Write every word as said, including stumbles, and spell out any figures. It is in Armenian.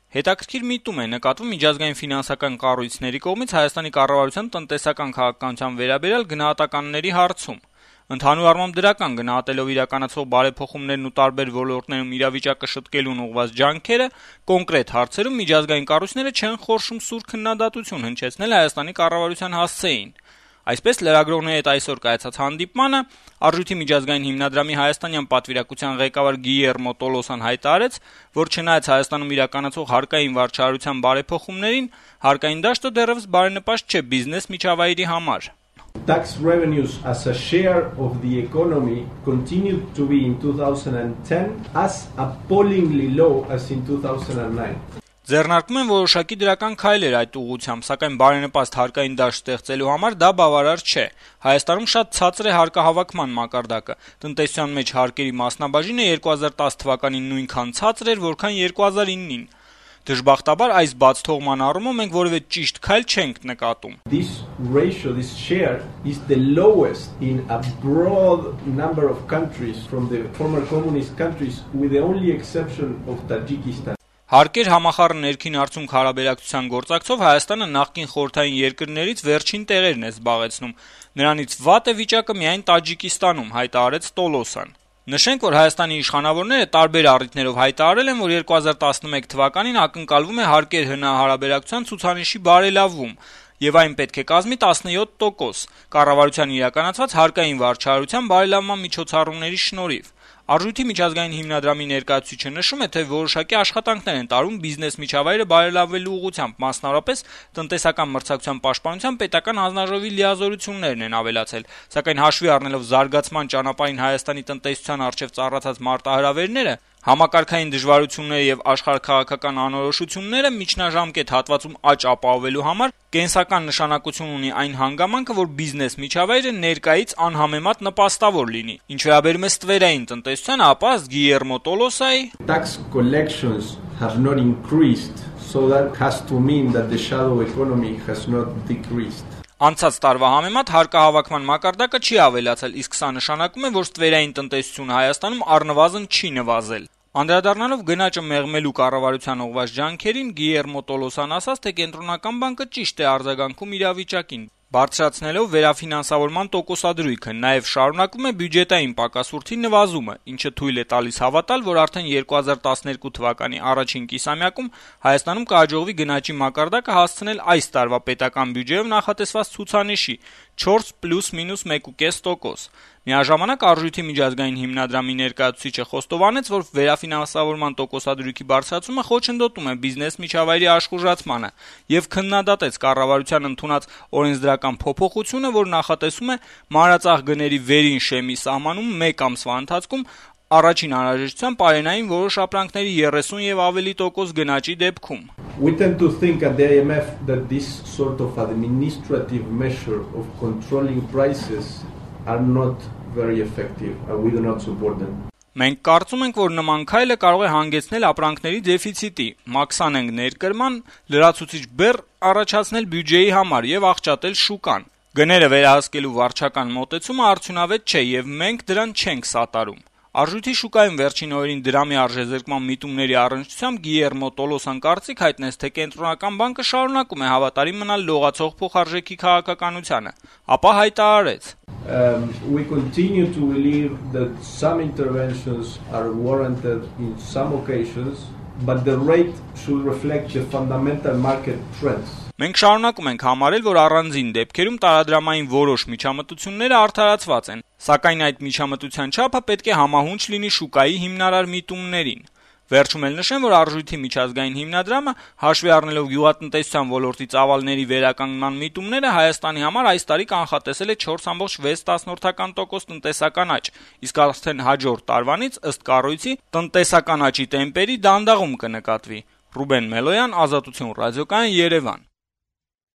Հետաքրքիր միտում է նկատվում միջազգային ֆինանսական կառույցների կողմից Հայաստանի կառավարության տնտեսական քաղաքականության վերաբերյալ գնահատականների հարցում։ Ընդհանուր առմամբ դրական գնահատելով իրականացվող բարեփոխումներն ու տարբեր ոլորտներում իրավիճակը շտկելուն ուղղված ջանքերը, կոնկրետ հարցերում միջազգային կառույցները չեն խորշում սուր քննադատություն հնչեցնել Հայաստանի կառավարության հասցեին։ Այսպես լրագրողների հետ այսօր կայացած հանդիպմանը Արժույթի միջազգային հիմնադրամի հայաստանյան պատվիրակության ղեկավար Գիլերմո Տոլոսան հայտարարեց, որ չնայած Հայաստանում իրականացող հարկային վարչահարության բարեփոխումներին, հարկային դաշտը դեռևս բարենպաստ չէ բիզնես միջավայրի համար։ Tax revenues as a share of the economy continued to be in two thousand ten as appallingly low as in two thousand nine. Ձեռնարկում են որոշակի դրական քայլեր այդ ուղղությամբ, սակայն բարենպաստ հարկային դաշտ ստեղծելու համար դա բավարար չէ։ Հայաստանում շատ ցածր է հարկահավաքման մակարդակը։ Տնտեսության մեջ հարկերի մասնաբաժինը երկու հազար տասը թվականին նույնքան ցածր էր, որքան երկու հազար իննին։ Դժբախտաբար այս բաց թողման առումով մենք որևէ ճիշտ քայլ չենք նկատում։ This ratio, this share is the lowest in a broad number of countries from the former communist countries with the only exception of Tajikistan. Հարկեր համախառն ներքին արդյունք հարաբերակցության գործակցով Հայաստանը նախկին խորհրդային երկրներից վերջին տեղերն է զբաղեցնում։ Նրանից վատ է վիճակը միայն Տաջիկստանում, հայտարարեց Տոլոսան։ Նշենք, որ Հայաստանի իշխանավորները տարբեր առիթներով հայտարարել են, որ երկու հազար տասնմեկ թվականին ակնկալվում է հարկեր հնահարաբերակցության ցուցանիշի բարելավում, եւ այն պետք է կազմի տասնյոթ տոկոս կառավարության իրականացված հարկային վարչահարության բարելավման միջոցառումների շնորհիվ։ Արժույթի միջազգային հիմնադրամի ներկայացուցիչը նշում է, թե որոշակի աշխատանքներ են տարվում բիզնես միջավայրը բարելավելու ուղղությամբ, մասնավորապես տնտեսական մրցակցության պաշտպանության պետական հանձնաժողովի լիազորություններն են ավելացել, սակայն հաշվի առնելով զարգացման ճանապարհին Հայաստանի տնտեսության առջև ծառացած մարտահրավերները, համակարգային դժվարությունները եւ աշխարհաքաղաքական անորոշությունները միջնաժամկետ հատվածում աճ ապահովելու համար կենսական նշանակություն ունի այն հանգամանքը, որ բիզնես միջավայրը ներկայից անհամեմատ նպաստավոր լինի։ Ինչ վերաբերում է ստվերային տնտեսությանը, ապա Գիլերմո Տոլոսայի tax collections have not increased, so that has to mean that the shadow economy has not decreased. Անցած տարվա համեմատ հարկահավաքման մակարդակը չի ավելացել, իսկ սա նշանակում է, որ ստվերային տնտեսությունը Հայաստանում առնվազն չի նվազել։ Անդրադառնալով գնաճը մեղմելու կառավարության ուղղված ջանքերին, Գիլերմո Տոլոսան ասաց, թե կենտրոնական բանկը ճիշտ է արձագանքում իրավիճակին, բարձրացնելով վերաֆինանսավորման տոկոսադրույքը, նաև շարունակում է բյուջետային պակասուրդի նվազումը, ինչը թույլ է տալիս հավատալ, որ արդեն երկու հազար տասներկու թվականի առաջին կիսամյակում Հայաստանում կհաջողվի գնաճի մակարդակը հասցնել այս տարվա պետական բյուջեով նախատեսված ցուցանիշի չորս պլյուս մինուս մեկ կόμμα պենս տոկոս։ Միաժամանակ Արժույթի միջազգային հիմնադրամի ներկայացուցիչը խոստովանեց, որ վերաֆինանսավորման տոկոսադրույքի բարձրացումը խոչընդոտում է բիզնես միջավայրի աշխուժացմանը եւ քննադատեց կառավարության ընդունած օրենսդրական փոփոխությունը, որ նախատեսում է մանրածախ գների վերին շեմի սահմանում մեկ ամսվա ընթացքում առաջին անհրաժեշտության պարենային որոշ ապրանքների երեսուն եւ ավելի տոկոս գնաճի դեպքում։ We tend to think at the I M F that this sort of administrative measure of controlling prices are not very effective and we do not support them. Մենք կարծում ենք, որ նման քայլը կարող է հանգեցնել ապրանքների դեֆիցիտի, մաքսանենգ ներկրման, լրացուցիչ բեռ առաջացնել բյուջեի համար եւ աղճատել շուկան։ Գները վերահսկելու վարչական մոտեցումը արդյունավետ չէ եւ մենք դրան չենք սատարում։ Արժույթի շուկայում վերջին օրերին դրամի արժեզրկման միտումների առնչությամբ Գիլերմո Տոլոսան կարծիք հայտնեց, թե կենտրոնական բանկը շարունակում է հավատարիմ մնալ լողացող փոխարժեքի քաղաքականությանը, ապա հայտարարեց. Um, we continue to believe that some interventions are warranted in some occasions, but the rate should reflect the fundamental market trends. Մենք շարունակում ենք համարել, որ առանձին դեպքերում տարադրամային որոշ միջամտությունները արդարացված են, սակայն այդ միջամտության չափը պետք է համահունչ լինի շուկայի հիմնարար միտումներին։ Վերջում էլ նշեմ, որ Արժույթի միջազգային հիմնադրամը հաշվի առնելով գյուղատնտեսության ոլորտի ծավալների վերականգնման միտումները Հայաստանի համար այս տարի կանխատեսել է չորս կόμma վեց տոկոս տնտեսական աճ, իսկ արդեն հաջորդ տարվանից ըստ կառույցի տնտեսական աճի տեմպերի դանդաղում կնկատվի։ Ռուբեն Մելոյան, Ազատություն ռադիոկայան, Երևան։